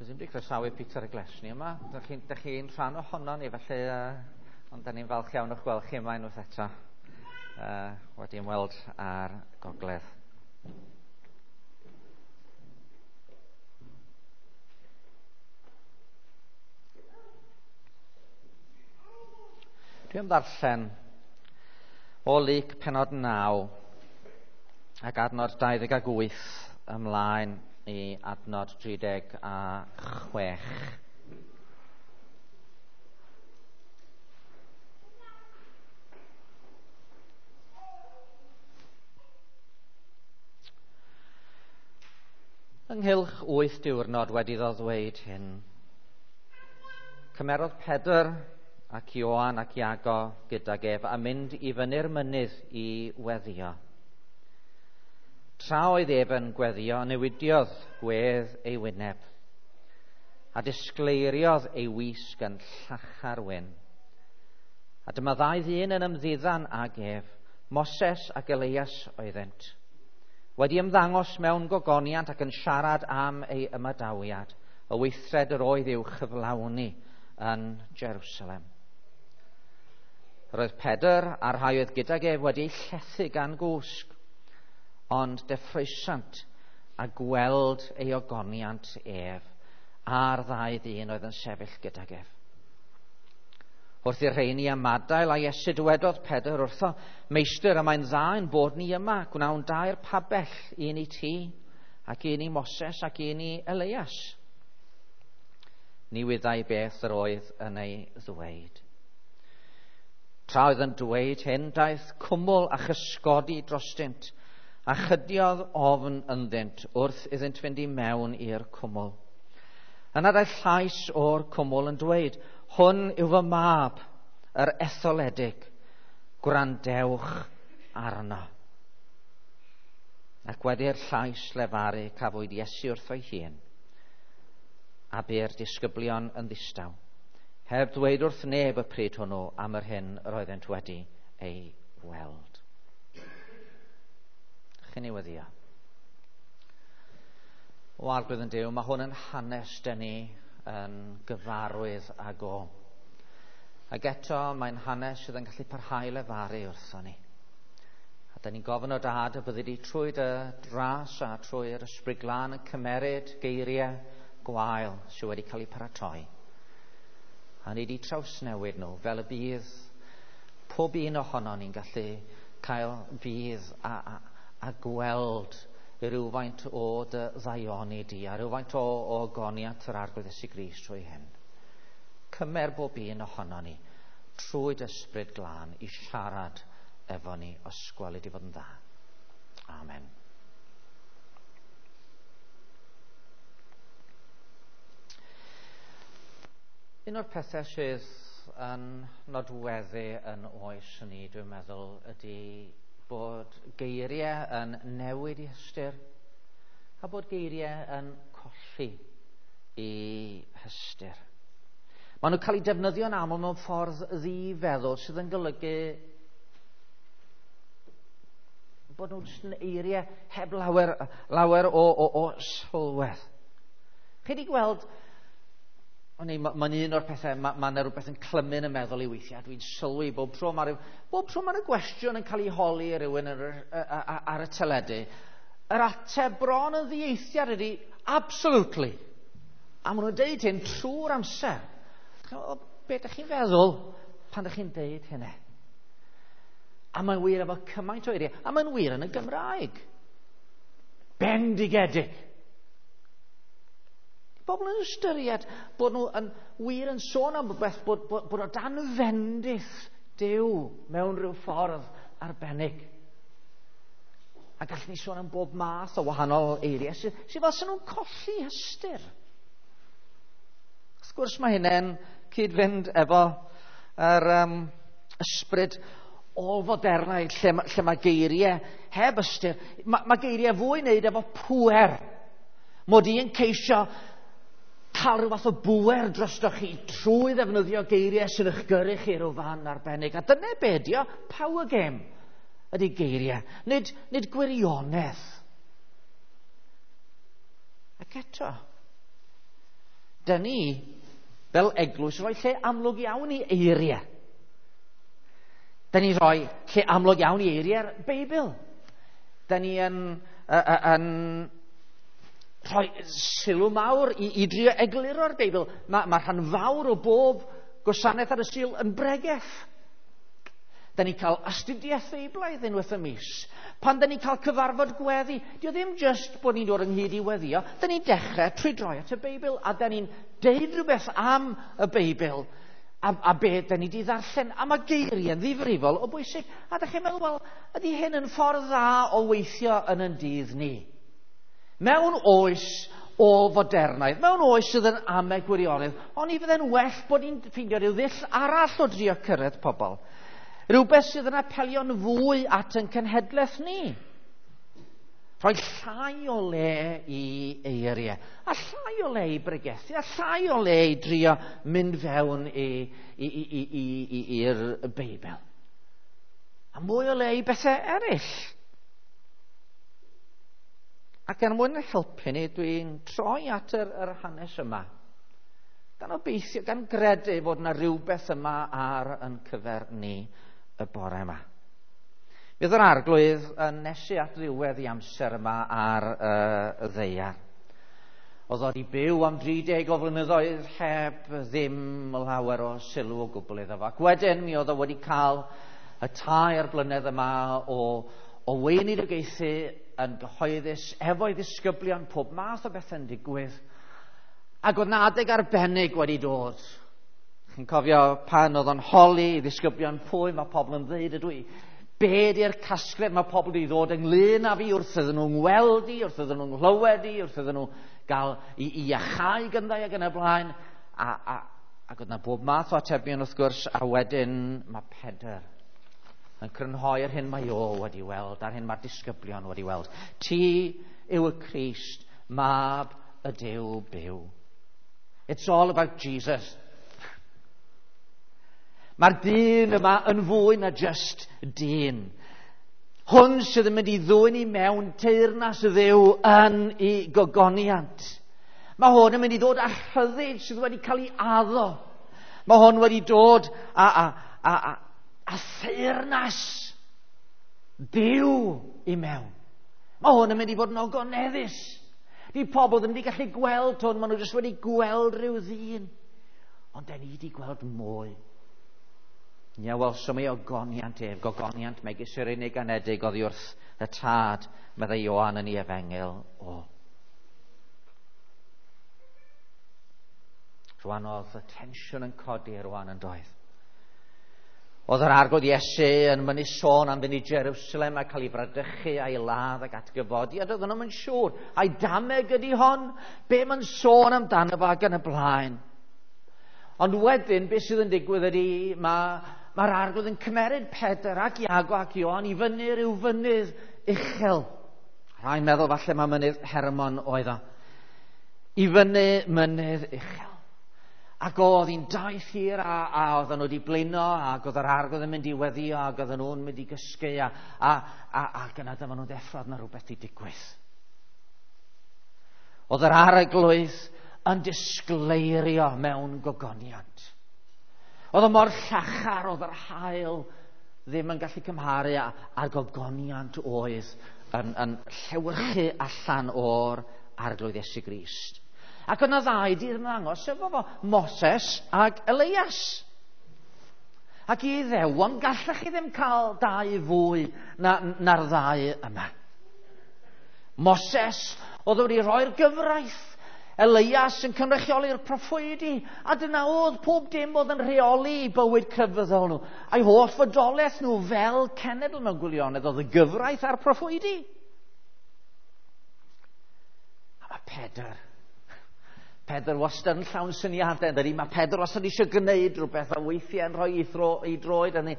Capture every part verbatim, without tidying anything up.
Dwi ddim wedi croesawu Peter y Glesni yma. Dych chi'n chi rhan ohono ni, felly, uh, ond da ni'n falch iawn o'ch gweld chi yma unwaith eto, uh, wedi ymweld â'r gogledd. Dwi am ddarllen o Luc pennod naw ac adnod dau ddeg ag wyth ymlaen i adnod tri deg a chwech. Ynghylch wyth diwrnod wedi iddo ddweud hyn, cymerodd Pedr ac Ioan ac Iago gydag ef a mynd i fyny'r mynydd i weddio. Tra oedd ef yn gweddio, newidiodd gwedd ei wyneb, a disgleiriodd ei wisg yn llachar wyn. A dyma ddau ddyn yn ymddiddan ag ef, Moses ac Elias oeddynt, wedi ymddangos mewn gogoniant ac yn siarad am ei ymadawiad, y weithred yr oedd i'w chyflawni yn Jerusalem. Yr oedd Pedr a'r rhai oedd gydag ef wedi eu llethu gan gwsg, ond deffroesant a gweld ei ogoniant ef a'r ddau ddyn oedd yn sefyll gydag ef. Wrth i'r rheini ymadael a Iesu dywedodd Pedr wrtho, Meistr, y mae'n dda ein bod ni yma, gwnawn dair pabell, un i ti, ac un i Moses, ac un i Elias. Ni wyddai beth yr oedd yn ei ddweud. Tra oedd yn dweud hyn, daeth cwmwl a chysgodi drostynt, a chydiodd ofn ynddynt wrth iddynt fynd i mewn i'r cwmwl. Yna daeth llais o'r cwmwl yn dweud, hwn yw fy mab, yr etholedig, gwrandewch arno. Ac wedi'r llais lefaru cafwyd Iesu wrtho'i hun, a bu'r disgyblion yn ddistaw, heb ddweud wrth neb y pryd hwnnw am yr hyn yr oeddent wedi ei weld. Chi'n ei weddio. O Arglwydd yn Duw, mae hwn yn hanes dyn ni yn gyfarwydd ag o. Ac eto mae'n hanes sydd yn gallu parhau lefaru wrtho ni. A dyn ni'n gofyn o Dad y byddi di trwy dy dras a trwy'r Ysbryd Glân yn cymeryd geiriau gwael sydd wedi cael eu paratoi. A ni di trawsnewid nhw fel y bydd pob un ohono ni'n gallu cael budd a, a, a gweld rhywfaint o dy ddaioni di a rhywfaint o, o ogoniant yr Arglwydd Iesu Grist trwy hyn. Cymer bob un ohono ni trwy dy Ysbryd Glân i siarad efo ni os gweli di fod yn dda. Amen. Un o'r pethau sydd yn nodweddu yn oes ni, dwi'n meddwl, ydy bod geiriau yn newid i hystyr a bod geiriau yn colli i hystyr. Maen nhw'n cael eu defnyddio'n aml mewn ffordd ddifeddwl sydd yn golygu bod nhw'n jyst yn eiriau heb lawer, lawer o, o, o sylwedd. Chi wedi gweld, mae'n un o'r pethau, mae yna rhywbeth yn clymu yn y meddwl i weithiau. Dwi'n sylwi bob tro mae rhyw, bob tro mae yna gwestiwn yn cael ei holi i rywun ar, ar, ar y teledu. Yr ateb bron yn ddieithiad ydy, absolutely. A maen nhw'n deud hyn trwy'r amser. Be ydych chi'n feddwl pan ydych chi'n deud hynny? A mae'n wir efo cymaint o eiriau. A mae'n wir yn y Gymraeg. Bendigedig. Bobl yn ystyried bod nhw yn wir yn sôn am rhywbeth, bod, bod, bod o dan fendith Duw mewn rhyw ffordd arbennig. A gallwn ni sôn am bob math o wahanol eiriau sydd, sydd fel sy'n nhw'n colli hystyr. Wrth gwrs mae hynny'n cyd-fynd efo yr um, ysbryd ôl-fodernaidd lle, lle mae geiriau heb ystyr. Mae, mae geiriau fwy wneud efo pŵer. Mod i'n ceisio cael rhyw fath o bŵer drostoch chi trwy ddefnyddio geiriau sy'n eich gyrru chi rhyw fan arbennig. A dyna be ydi o, power game ydy geiriau, nid, nid gwirionedd. Ac eto, Dyn ni, fel eglwys, rhoi lle amlwg iawn i eiriau. Dyn ni rhoi lle amlwg iawn i eiriau'r Beibl. Dyn ni yn, uh, yn rhoi sylw mawr i, i drio egluro'r Beibl. Mae, mae rhan fawr o bob gwasanaeth ar y Sul yn bregeth. Dyn ni'n cael astudiaeth Feiblaidd unwaith y mis. Pan dyn ni'n cael cyfarfod gweddi, dio ddim just bod ni'n dod ynghyd i weddio. Dyn ni'n dechrau trwy droi at y Beibl, a dyn ni'n deud rhywbeth am y Beibl, a, a be dyn ni wedi ddarllen. A mae geiriau'n ddifrifol o bwysig. A dych chi'n meddwl, wel, ydy hyn yn ffordd dda o weithio yn yn dydd ni? Mewn oes o fodernaidd, mewn oes sydd yn amau gwirionedd, ond i fydde'n well bod ni'n ffeindio rhyw ddull arall o drio cyrraedd pobl. Rhywbeth sydd yn apelio'n fwy at yn cenhedlaeth ni. Rhoi llai o le i eiriau, a llai o le i bregethu, a llai o le i drio mynd fewn i'r Beibl. A mwy o le i bethau eraill. Ac er mwyn helpu ni, dwi'n troi at yr, yr hanes yma. Gan obeithio, gan gredu fod yna rhywbeth yma ar yn cyfer ni y bore yma. Bydd yr Arglwydd yn nesu at ddiwedd i amser yma ar uh, y ddaear. Oedd o wedi byw am dri deg o flynyddoedd heb ddim lawer o sylw o gwbl iddo fo. Ac wedyn mi oedd o wedi cael y tair blynedd yma o, o weinidogaethu yn gyhoeddus efo'i ddisgyblion, pob math o bethau'n digwydd. Ac oedd 'na adeg arbennig wedi dod. Chi'n cofio pan oedd o'n holi i ddisgyblion pwy mae pobl yn dweud ydw i. Be di'r casgliad mae pobl wedi ddod ynglyn â fi wrth iddyn nhw'n ngweld i, wrth iddyn nhw'n nghlywed i, wrth iddyn nhw gael i, i iachau gyndau ac yn y blaen. A, a, ac oedd 'na bob math o atebion wrth gwrs, a wedyn mae Pedr yn crynhoi'r hyn mae o wedi weld, a'r hyn mae'r disgyblion wedi weld. Ti yw y Crist, mab y Duw byw. It's all about Jesus. Mae'r dyn yma yn fwy na just dyn. Hwn sydd yn mynd i ddwyn i mewn teyrnas y Dduw yn ei gogoniant. Mae hwn yn mynd i ddod â rhyddid sydd wedi cael ei addo. Mae hwn wedi dod â, a, a, a, a theyrnas Duw i mewn. Mae hwn yn mynd i fod yn ogoneddus. Di pobl ddim wedi gallu gweld hwn, maen nhw jyst wedi gweld rhyw ddyn. Ond den ni wedi gweld mwy. Ni a welsom ei ogoniant ef, gogoniant megis yr unig anedig oddi wrth y Tad, meddai Ioan yn ei efengyl o. Rwan oedd y tensiwn yn codi rwan yn doedd. Oedd yr Arglwydd Iesu yn mynnu sôn am fynd i Jerusalem a cael ei bradychu a'i ladd ac atgyfodi, a doedden nhw'm yn siŵr. A'i dameg ydy hon? Be mae'n sôn amdano fo ac yn y blaen? Ond wedyn, beth sydd yn digwydd ydy, mae'r ma Arglwydd yn cymeryd Pedr ac Iago ac Ioan i fyny rhyw fynydd uchel. Rhai'n meddwl falle mae mynydd Hermon oedd o. I fyny mynydd uchel. Ac oedd hi'n daith hir a, a oedden nhw wedi blino ac oedd yr Arglwydd yn mynd i weddio ac oedden nhw'n mynd i gysgu a, a, a, ac yna dyma nhw'n deffro, oedd yna rhywbeth i digwydd. Oedd yr Arglwydd yn disgleirio mewn gogoniant. Oedd o mor llachar, oedd yr haul ddim yn gallu cymharu â'r gogoniant oedd yn, yn llewyrchu allan o'r Arglwydd Iesu Grist. Ac yna ddau di ymddangos efo fo, Moses ac Elias. Ac i Iddewon, gallech chi ddim cael dau fwy na, na'r ddau yma. Moses oedd wedi rhoi'r gyfraith, Elias yn cynrychioli'r proffwydi, a dyna oedd pob dim oedd yn rheoli bywyd crefyddol nhw. A'i holl fodolaeth nhw fel cenedl mewn gwirionedd oedd y gyfraith a'r proffwydi. A mae Pedr, Pedr wastad yn llawn syniadau, dydy? Mae Pedr wastad eisiau gwneud rhywbeth a weithiau yn rhoi ei, thro, ei droed yn ei,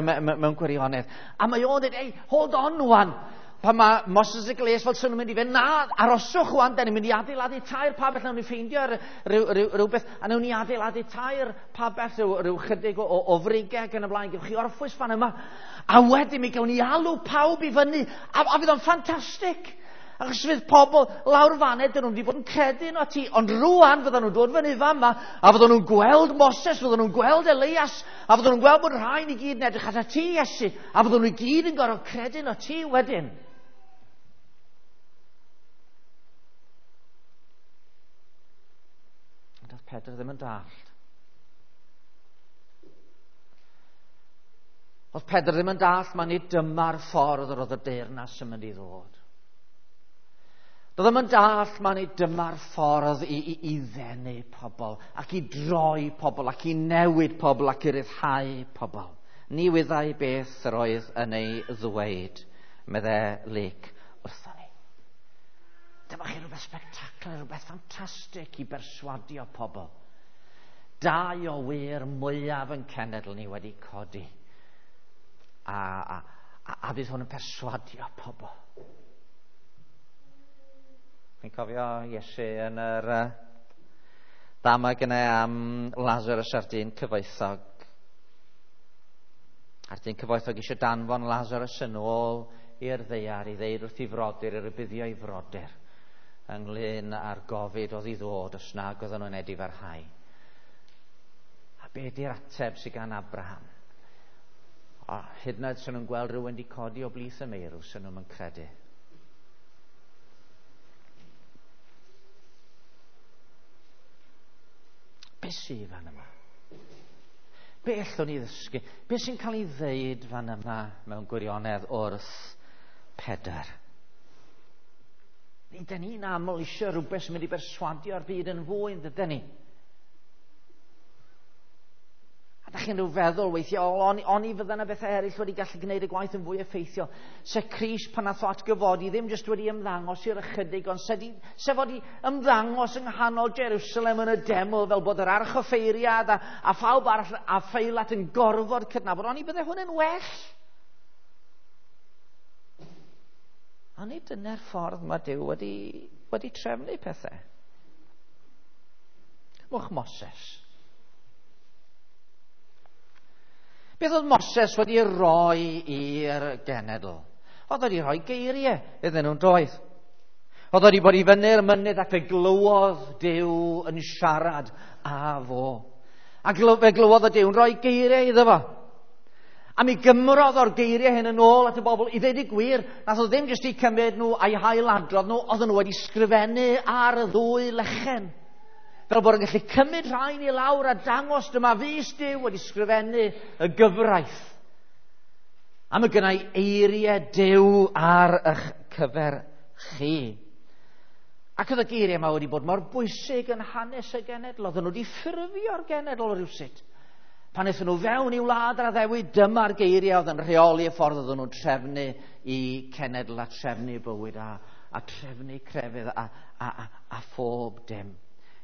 mewn gwirionedd. A mae o'n dweud, ei, hold on wan. Pan mae Moses ac Elias fel sy'n nhw'n mynd i fynd, na, aroswch wan, da ni'n mynd i adeiladu tair pabell, nawn ni ffeindio rhywbeth, a nawn ni adeiladu tair pabell, rhyw, rhyw chydig o, o, o frigau ac yn y blaen, gewch chi orffwys fan yma. A wedyn mi gawn ni alw pawb i fyny, a, a fydd o'n ffantastig. Achos fydd pobl lawr fan'na, dyn nhw'n wedi bod yn credu yno ti, ond rwan fyddan nhw'n dod fyny fan yma, a fyddan nhw'n gweld Moses, fyddan nhw'n gweld Elias, a fyddan nhw'n gweld bod rhain i gyd yn edrych atat ti, Iesu, a fyddan nhw i gyd yn gorfod credu yno ti wedyn. Ond oedd Pedr ddim yn dallt. Oedd Pedr ddim yn dallt, mae nid dyma'r ffordd yr oedd y deyrnas yn mynd i ddod. Doedd ddim yn dallt, mae nid dyma'r ffordd i, i, i ddenu pobl, ac i droi pobl, ac i newid pobl, ac i ryddhau pobl. Ni wyddai beth yr oedd yn ei ddweud, medde Luc wrthon ni. Dyma chi rhywbeth spectacular, rhywbeth ffantastig i berswadio pobl. Dau o wir mwyaf yn cenedl ni wedi codi. A, a, a, a fydd hwn yn perswadio pobl. Chi'n cofio Iesu yn yr uh, ddameg yna am Lazarus a'r dyn cyfoethog. A'r dyn cyfoethog eisiau danfon Lazarus yn ôl i'r ddaear i ddeud wrth ei frodyr, i rybuddio ei frodyr ynglyn â'r gofid oedd i ddod os nag oedden nhw'n edifarhau. A be di'r ateb sydd gan Abraham? O, hyd yn oed sy'n nhw'n gweld rhywun wedi codi o blith y meirw, sy'n nhw'n credu. Be sydd fan yma? Be allwn ni ddysgu? Be sy'n cael ei ddeud fan yma mewn gwirionedd wrth Pedr? Ni, dyn ni'n aml eisiau rhywbeth sy'n mynd i berswadio'r byd yn fwy, yn dydyn ni? A da chi'n rhyw feddwl weithiau, oni, oni fydda yna bethau eraill wedi gallu gwneud y gwaith yn fwy effeithiol. Se Crist pan nath o atgyfodi ddim jyst wedi ymddangos i'r ychydig, ond se, di, se fod i ymddangos yng nghanol Jerusalem yn y deml fel bod yr archoffeiriad a, a phawb arall a Pheilat yn gorfod cydnabod, oni bydde hwn yn well. A nid dyna'r ffordd mae Duw wedi, wedi trefnu pethau. Cymwch Moses. Beth oedd Moses wedi rhoi i'r genedl? Oedd wedi rhoi geiriau iddyn nhw'n doedd. Oedd wedi bod i fyny'r mynydd ac fe glywodd Duw yn siarad â fo. A fe glywodd y Duw yn rhoi geiriau iddo fo. A mi gymrodd o'r geiriau hyn yn ôl at y bobl. I ddweud y gwir, nath o ddim jyst i cymryd nhw a'i hailadrodd nhw, oedden nhw wedi sgrifennu ar y ddwy lechen. Fel bod yn gallu cymryd rhain i lawr a dangos dyma fys Duw wedi sgrifennu y gyfraith. A mae gennau eiriau Duw ar eich cyfer chi. Ac oedd y geiriau yma wedi bod mor bwysig yn hanes y genedl. Oedden nhw wedi ffurfio'r genedl rhywsut. Pan aethon nhw fewn i wlad yr addewid, dyma'r geiriau oedd yn rheoli y ffordd oedden nhw'n trefnu i cenedl a trefnu bywyd a, a trefnu crefydd a, a, a, a phob dim.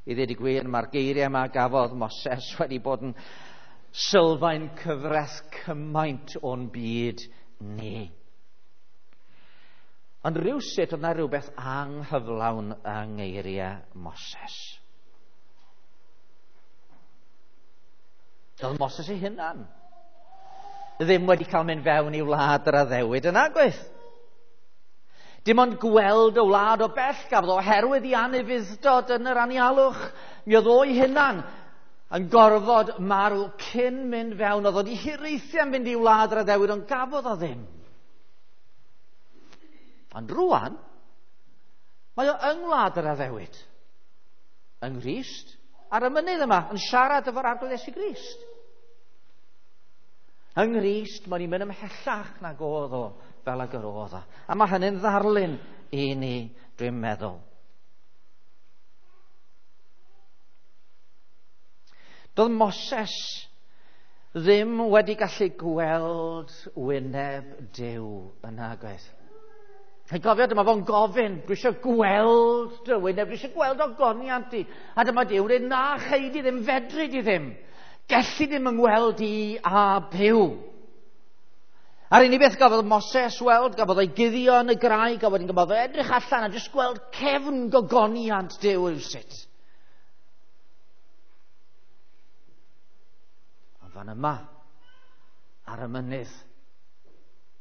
I ddweud y gwir, mae'r geiriau yma gafodd Moses wedi bod yn sylfaen cyfres cymaint o'n byd ni. Ond rhywsut oedd yna rhywbeth anghyflawn yng ngeiriau Moses. Doedd Moses ei hunan ddim wedi cael mynd fewn i wlad yr addewid yn agwedd. Dim ond gweld y wlad o bell gafodd oherwydd i anufudd-dod yn yr anialwch. Mi oedd o'i hunan yn gorfod marw cyn mynd fewn. Oedd wedi hiraethu am fynd i wlad yr addewid, ond gafodd o ddim. Ond rwan, mae o yng ngwlad yr addewid. Yng Nghrist, ar y mynydd yma, yn siarad efo'r Arglwydd Iesu Grist. Yng Nghrist, mae'n i'n mynd ymhellach nag oedd o fel ag yr oedd o. A mae hynny'n ddarlun i ni, dwi'n meddwl. Doedd Moses ddim wedi gallu gweld wyneb Duw yn agos. Chi'n cofio, dyma fo'n gofyn, dwi eisiau gweld dy wyneb, dwi eisiau gweld ogoniant di. A dyma Duw yn dweud, na chei di ddim, fedri di ddim. Gelli ddim yngweld i a byw. A'r unig beth gafodd Moses weld, gafodd o'i guddio yn y graig, a wedyn gafodd o edrych allan a jyst gweld cefn gogoniant Duw rywsut. Ond fan yma, ar y mynydd,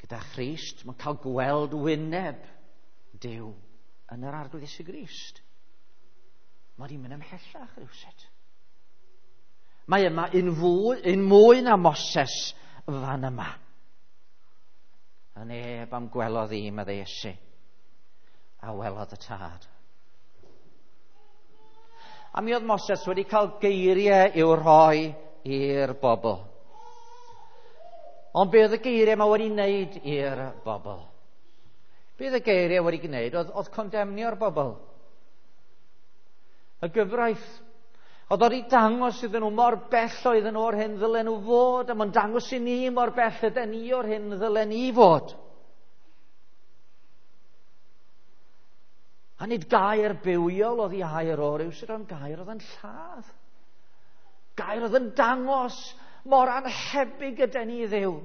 gyda Christ, mae'n cael gweld wyneb Duw. yn yr Arglwydd Iesu Grist, mae wedi mynd ymhellach rhywsut. Mae yma un, fwy, un mwy na Moses fan yma. A neb am gwelodd i, meddai Iesu, a welodd y Tad. A mi oedd Moses wedi cael geiriau i'w rhoi i'r bobl. Ond be oedd y geiriau yma wedi wneud i'r bobl? Be oedd y geiriau wedi gwneud oedd, oedd condemnio'r bobl. Y gyfraith. Oedd wedi dangos iddyn nhw mor bell oedden nhw o'r hyn ddylen nhw fod, a mae'n dangos i ni mor bell ydyn ni o'r hyn ddylen ni fod. A nid gair bywiol oedd i air o rywsut, ond gair oedd yn lladd. Gair oedd yn dangos mor anhebyg ydyn ni i Dduw.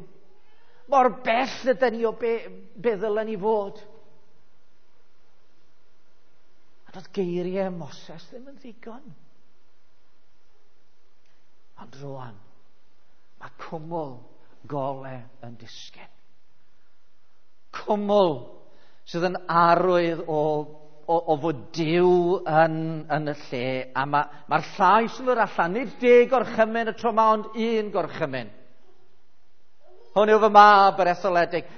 Mor bell ydyn ni o be, be ddylen ni fod. A doedd geiriau Moses ddim yn ddigon. Ond rwan, mae cwmwl gole yn disgyn. Cwmwl sydd yn arwydd o, o, o fod Duw yn, yn y lle. A mae'r ma llais yn dod allan, nid deg gorchymyn y tro yma, ond un gorchymyn. Hwn yw fy mab yr etholedig,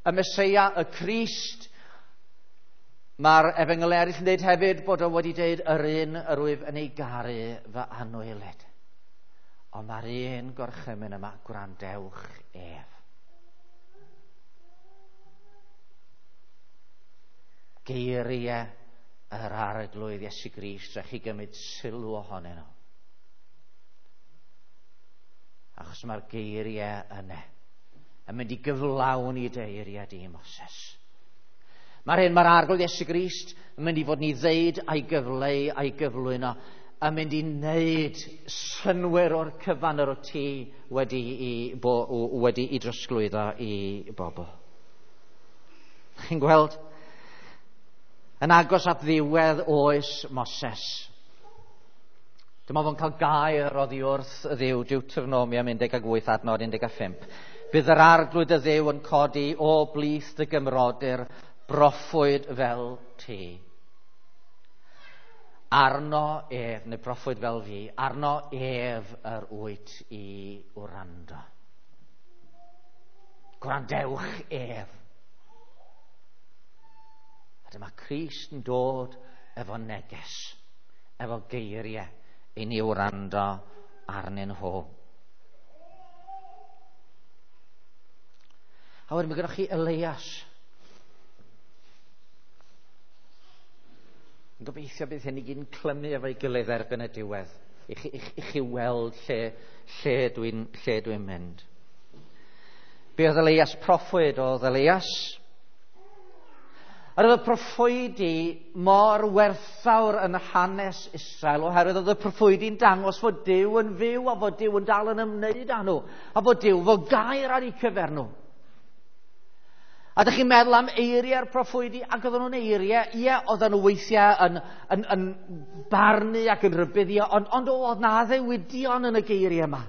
y Meseia, y Crist. Mae'r efengyl eraill yn dweud hefyd bod o wedi dweud yr un yr wyf yn ei garu fy anwylyd. Ond mae'r un gorchymyn yma, gwrandewch ef. Geiriau yr Arglwydd Iesu Grist, rhaid chi gymryd sylw ohonyn nhw. Achos mae'r geiriau yna yn mynd i gyflawni deiriau di Moses. Mae'r hyn mae'r Arglwydd Iesu Grist yn mynd i fod ni ddeud a'i gyfleu a'i gyflwyno, yn mynd i wneud synnwyr o'r cyfan yr o ti wedi i, bo, wedi i drosglwyddo i bobl. Chi'n gweld? Yn agos at ddiwedd oes Moses. Dyma fo'n cael gair oddi wrth y Dduw, Deuteronomium un deg wyth adnod un deg pump. Bydd yr Arglwydd y Dduw yn codi o blith dy gymrodyr broffwyd fel ti. Arno ef, neu broffwyd fel fi, arno ef yr wyt i wrando. Gwrandewch ef. A dyma Crist yn dod efo neges, efo geiriau i ni wrando arnyn nhw. A wedyn mae gennych chi Elias. Yn gobeithio bydd hyn i gyd yn clymu efo'i gilydd erbyn y diwedd, i chi, i, i chi weld lle, lle dwi'n lle dwi'n mynd. Be oedd Elias proffwyd oedd Elias? A oedd y proffwydi mor werthfawr yn hanes Israel, oherwydd oedd y proffwydi'n dangos fod Duw yn fyw a fod Duw yn dal yn ymwneud â nhw, a fod Duw fod gair ar eu cyfer nhw. A ydych chi'n meddwl am eiriau'r proffwydi, ac oedden nhw'n eiriau, ie, oedden nhw weithiau yn, yn, yn barnu ac yn rhybuddio, ond, ond oedd na addewidion yn y geiriau yma.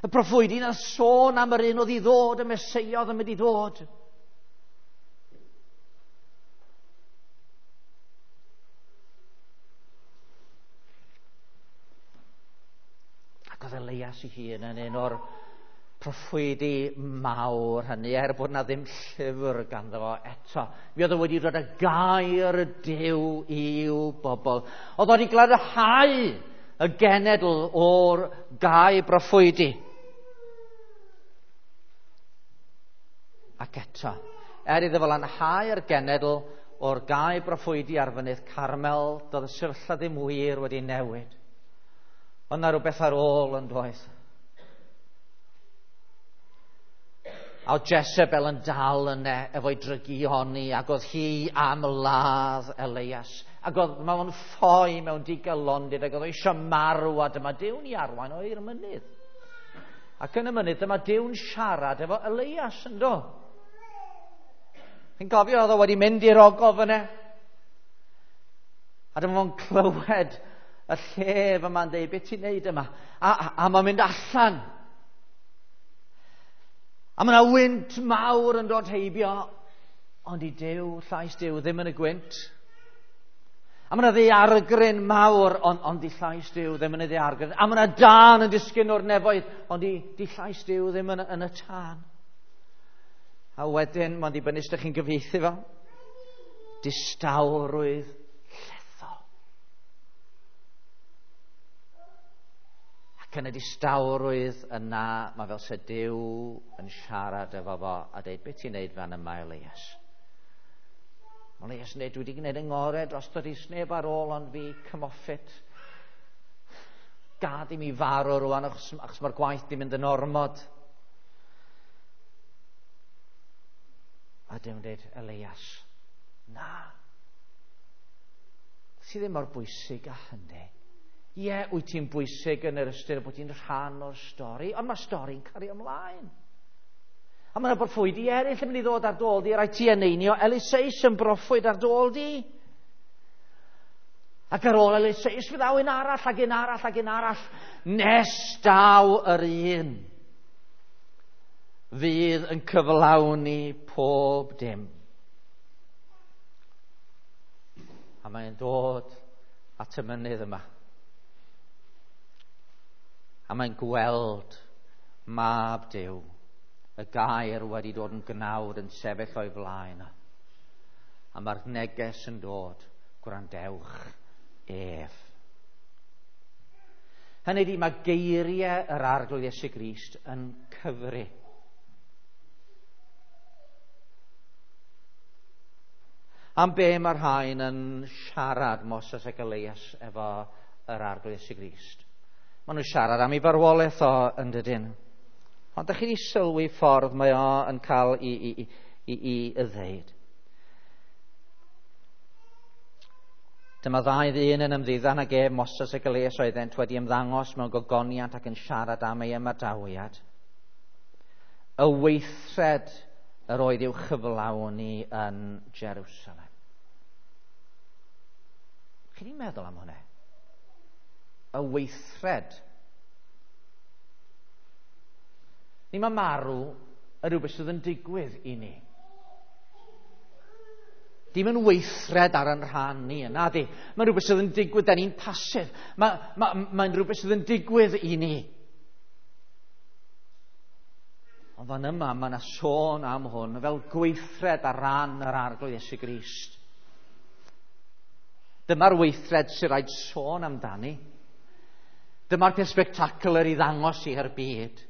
Y proffwydi na sôn am yr un oedd i ddod, y Meseia oedd yn mynd i ddod. Ac oedd Elias ei hun yn un o'r proffwydi mawr hynny, er bod na ddim llyfr ganddo fo eto. Mi oedd o wedi dod â gair Duw i'w bobl. Oedd o wedi glanhau y genedl o'r gau broffwydi. Ac eto, er iddo fo lanhau'r genedl o'r gau broffwydi ar fynydd Carmel, doedd y sefyllfa ddim wir wedi newid. Ond na rhywbeth ar ôl yn doedd. A oedd Jezebel yn dal yna efo'i drygioni, ac oedd hi am ladd Elias. Ac oedd mae'n ffoi mewn digalondid, ac oedd o eisiau marw, a dyma Duw'n i arwain o i'r mynydd. Ac yn y mynydd, dyma Duw'n siarad efo Elias, yndo? Chi'n cofio, oedd o wedi mynd i'r ogof yna. A dyma fo'n clywed y llef yma'n dweud, beth ti'n neud yma? A, a, a mae'n mynd allan. A mae yna wynt mawr yn dod heibio, Ond i Duw, llais Duw ddim yn y gwynt. A mae yna ddaeargryn mawr, ond, ond di llais Duw ddim yn y ddaeargryn. A mae yna dân yn disgyn o'r nefoedd, ond di, di llais Duw ddim yn, yn y tân. A wedyn, mae'n dibynnu sut ydych chi'n gyfieithu fo. Distawrwydd llethol. Ac yn y distawrwydd yna, mae fel se Duw yn siarad efo fo a dweud, beth ti'n neud fan yma, Elias? Mae Elias yn dweud, dwi wedi gwneud yng ngorau dros dod i sneb ar ôl ond fi, come off it. Gad i mi farw rwan achos, achos mae'r gwaith di mynd yn ormod. A Duw'n dweud, Elias, na. Ti ddim mor bwysig â hynny. Ie, wyt ti'n bwysig yn yr ystyr bod ti'n rhan o'r stori, ond mae stori'n cario ymlaen. A mae yna broffwydi eraill yn mynd i ddod ar dôl di, rhaid ti eneinio Eliseus yn broffwyd ar dôl di. Ac ar ôl Eliseus fydd aw un arall, ac un arall, ac un arall, nes daw yr un fydd yn cyflawni pob dim. A mae'n dod at y mynydd yma. A mae'n gweld mab Duw, y gair wedi dod yn gnawd yn sefyll o'i flaen. A mae'r neges yn dod, gwrandewch ef. Hynny ydi, mae geiriau yr Arglwydd Iesu Grist yn cyfri. Am be mae'r rhain yn siarad Moses ac Elias efo yr Arglwydd Iesu Grist? Maen nhw'n siarad am ei farwolaeth o yn dydyn. Ond ydych chi wedi sylwi ffordd mae o yn cael i, i, i, i, i, i ddeud. Dyma ddau ddyn yn ymddiddan ag ef, Moses ac Elias oeddent wedi ymddangos mewn gogoniant ac yn siarad am ei ymadawiad. Y weithred yr oedd i'w chyflawni yn Jerusalem. Chi wedi meddwl am hwnna? Y weithred. Ni mae marw yn rhywbeth sydd yn digwydd i ni. Dim yn weithred ar yn rhan ni, yna di. Mae'n rhywbeth sydd yn digwydd, da ni'n pasif. Mae, mae, mae'n rhywbeth sydd yn digwydd i ni. Ond fan yma, mae yna sôn am hwn fel gweithred ar ran yr Arglwydd Iesu Grist. Dyma'r weithred sy'n rhaid sôn amdani. Dyma'r peth spectacular i ddangos i'r byd.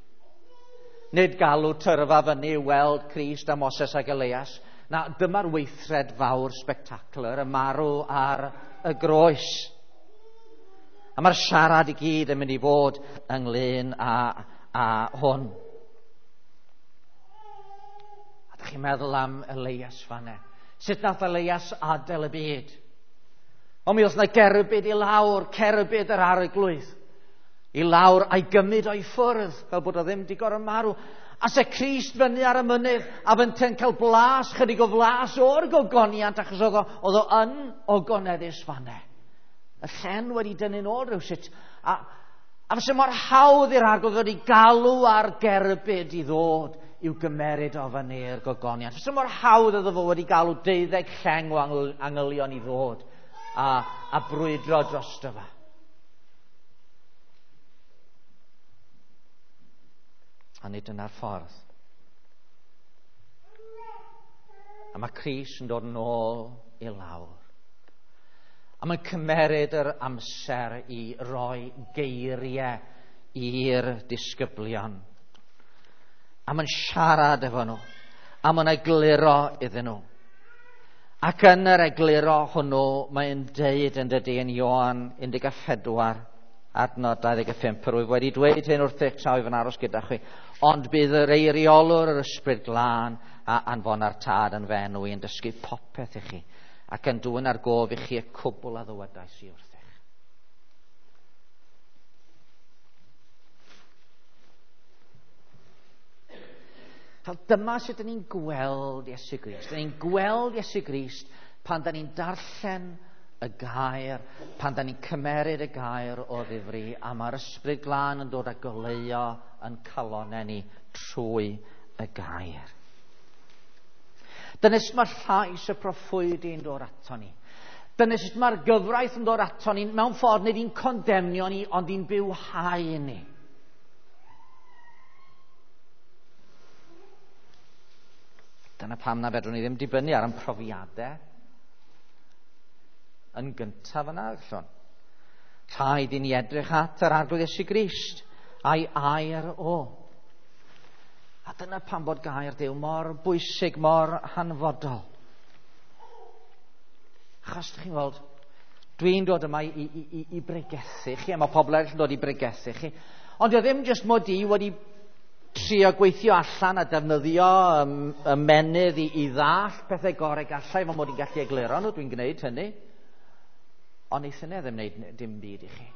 Nid galw tyrfa fyny i weld Crist a Moses ac Elias. Na, dyma'r weithred fawr spectacular, y marw ar y groes. A mae'r siarad i gyd yn mynd i fod ynglyn â, â hwn. A dych chi'n meddwl am Elias fanne. Sut nath Elias adael y byd? Ond mi oedd yna gerbyd i lawr, cerbyd yr Arglwydd. I lawr a'i gymryd o'i ffwrdd, fel bod o ddim di gorfod marw. A se Crist fyny ar y mynydd, a fynte'n cael blas, chydig o flas o'r gogoniant, achos oedd o, oedd o yn ogoneddus fanne. Y llen wedi dynnu'n ôl rhywsut. A, a fyse mor hawdd i'r Arglwydd wedi galw ar gerbyd i ddod i'w gymeryd o fyny i'r gogoniant. Fyse mor hawdd iddo fo wedi galw deuddeg lleng o angylion i ddod a, a brwydro drosto fo. A nid yna'r ffordd. A mae Crist yn dod yn ôl i lawr. A mae'n cymeryd yr amser i roi geiriau i'r disgyblion. A mae'n siarad efo nhw. A mae'n egluro iddyn nhw. Ac yn yr egluro hwnnw, mae'n deud yn dydy yn Ioan un deg pedwar, adnod dau ddeg pump, yr wyf wedi dweud hyn wrthych tra wyf yn aros gyda chwi, ond bydd yr eiriolwr yr Ysbryd Glân a anfona'r Tad yn fy enw i yn dysgu popeth i chi, ac yn dwyn ar gof i chi y cwbl a ddywedais i wrthych. Fel dyma sut dyn ni'n gweld Iesu Grist. Dyn ni'n gweld Iesu Grist pan dyn ni'n darllen y gair, pan da ni'n cymeryd y gair o ddifri, a mae'r Ysbryd Glân yn dod â goleuo yn calonnau ni trwy y gair. Dyna sut mae llais y proffwydi'n dod ato ni. Dyna sut mae'r gyfraith yn dod ato ni, mewn ffordd nid i'n condemnio ni, ond i'n bywhau ni. Dyna pam na fedrwn ni ddim dibynnu ar ein profiadau yn gyntaf yna, allwn. Rhaid i ni edrych at yr Arglwydd Iesu Grist a'i air o. A dyna pam bod gair Duw mor bwysig, mor hanfodol. Achos, chi'n gweld, dwi'n dod yma i, i, i, i bregethu chi, a mae pobl eraill yn dod i bregethu chi. Ond o ddim jyst mod i wedi trio gweithio allan a defnyddio ymennydd i, i ddall pethau gorau gallai, fel mod i'n gallu egluro nhw, dwi'n gwneud hynny. Ond neith hynny ddim wneud dim byd i chi.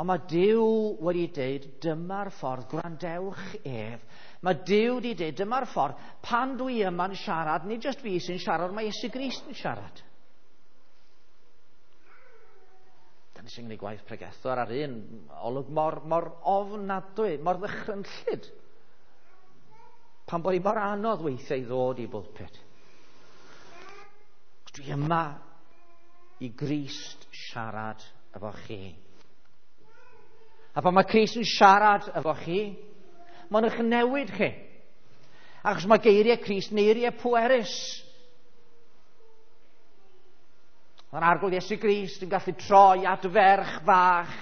Ond mae Duw wedi dweud, dyma'r ffordd, gwrandewch ef. Mae Duw wedi dweud, dyma'r ffordd, pan dwi yma'n siarad, nid jyst fi sy'n siarad, mae Iesu Grist yn siarad. Dyna sy'n gwneud gwaith pregethwr ar un olwg mor, mor ofnadwy, mor ddychrynllyd. Pan bod hi mor anodd weithiau i ddod i bwlpit. Dwi yma i Grist siarad efo chi. A pan mae Crist yn siarad efo chi, mae'n eich newid chi. Achos mae geiriau Crist yn eiriau pwerus. Mae'r Arglwydd Iesu Grist yn gallu troi at ferch fach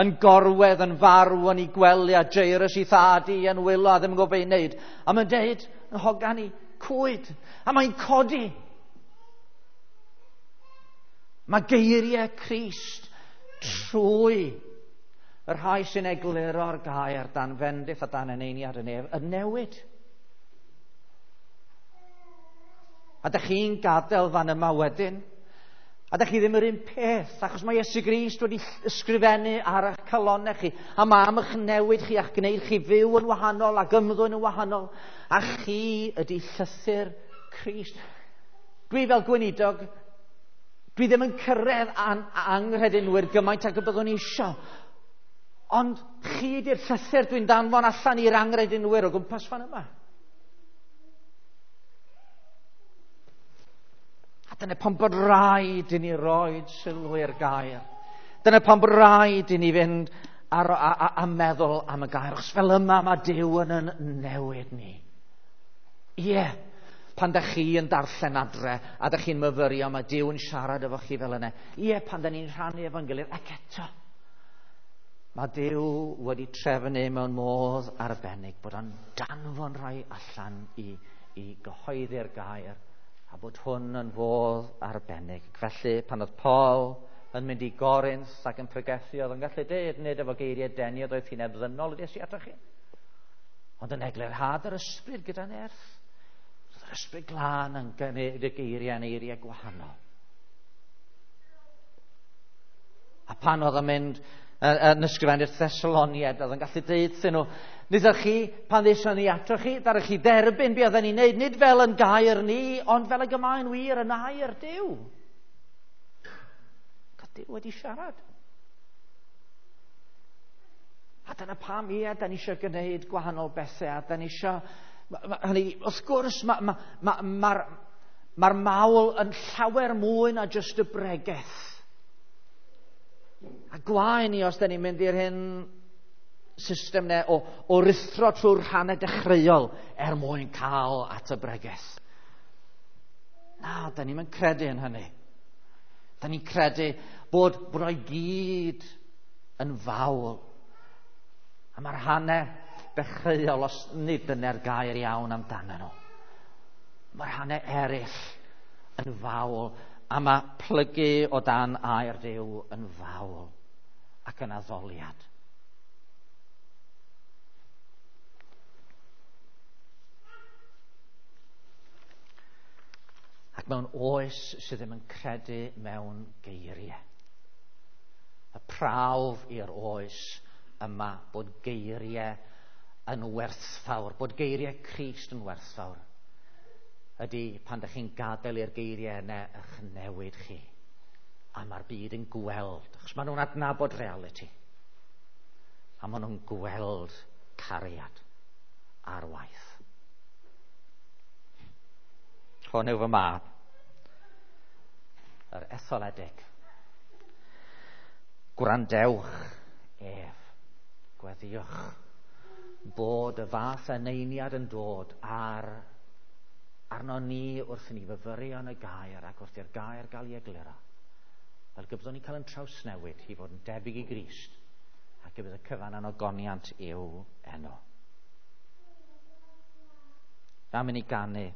yn gorwedd yn farw yn ei gwely a Jairus ei thad i yn wylo a ddim yn gwybod beth i wneud. A mae'n deud, yn hogan i, cwyd. A mae'n codi. Mae geiriau Crist trwy y rhai sy'n egluro'r gair dan fendith a dan eneiniad y nef yn newid. A dych chi'n gadael fan yma wedyn, a dych chi ddim yr un peth, achos mae Iesu Grist wedi ysgrifennu ar eich calonnau chi, a mae am eich newid chi a'ch gwneud chi fyw yn wahanol ac ymddwyn yn wahanol, a chi ydy llythyr Crist. Dwi fel gweinidog, dwi ddim yn cyrraedd an anghredinwyr gymaint ag y byddwn i isio. Ond chi ydy'r llythyr dwi'n danfon allan i'r anghredinwyr o gwmpas fan yma. A dyna pam bod rhaid i ni roed sylw i'r gair. Dyna pam bod rhaid i ni fynd ar, a, a, a meddwl am y gair. Achos fel yma mae Duw yn yn newid ni. Ie, yeah, pan da chi yn darllen adre a da chi'n myfyrio, mae Duw yn siarad efo chi fel yna. Ie, yeah, pan da ni'n rhannu efo'n gilydd, ac eto, mae Duw wedi trefnu mewn modd arbennig bod o'n danfon rhai allan i, i gyhoeddi'r gair a bod hwn yn fodd arbennig. Felly, pan oedd Paul yn mynd i Gorinth ac yn pregethu, oedd yn gallu dweud, nid efo geiriau denu, oedd hi'n ebddynol wedi esi atoch chi. Ond yn eglurhad yr ysbryd gyda nerth. Oedd yr ysbryd glân yn gwneud y geiriau yn eiriau gwahanol. A pan oedd yn mynd yn ysgrifennu'r Thessaloniaid, oedd yn gallu deud iddyn nhw, nid ydych chi, pan ddeison ni ato chi, ddaru chi dderbyn be oedden ni'n neud, nid fel yn gair ni, ond fel y gymaen wir yn air Duw. Oedd Duw wedi siarad. A dyna pam, ie, da ni eisiau gwneud gwahanol bethau, a da ni eisiau... Hynny, wrth gwrs, mae'r ma, ma, ma, ma mawl yn llawer mwy na jyst y bregeth. A gwae ni os da ni'n mynd i'r hyn system ne o, o ruthro trwy'r rhannau dechreuol er mwyn cael at y bregeth. Na, da ni'n credu yn hynny. Da ni'n credu bod, bod o'i gyd yn fawl. A mae'r rhannau dechreuol, os nid dyna'r gair iawn amdano nhw, mae'r rhannau eraill yn fawl. A mae plygu o dan air Duw yn fawl ac yn addoliad. Ac mewn oes sydd ddim yn credu mewn geiriau. Y prawf i'r oes yma bod geiriau yn werthfawr, bod geiriau Crist yn werthfawr, ydy pan ydych chi'n gadael i'r geiriau yna eich newid chi. A mae'r byd yn gweld, achos maen nhw'n adnabod reality. A maen nhw'n gweld cariad ar waith. Hwn yw fy mab, yr etholedig. Gwrandewch ef, gweddïwch bod y fath eneiniad yn dod ar arno ni wrth i ni fyfyrio yn y gair ac wrth i'r gair gael ei egluro. Fel y byddwn ni'n cael yn trawsnewid i fod yn debyg i Grist ac y bydd y cyfan yn ogoniant i'w enw. Am i ni ganu.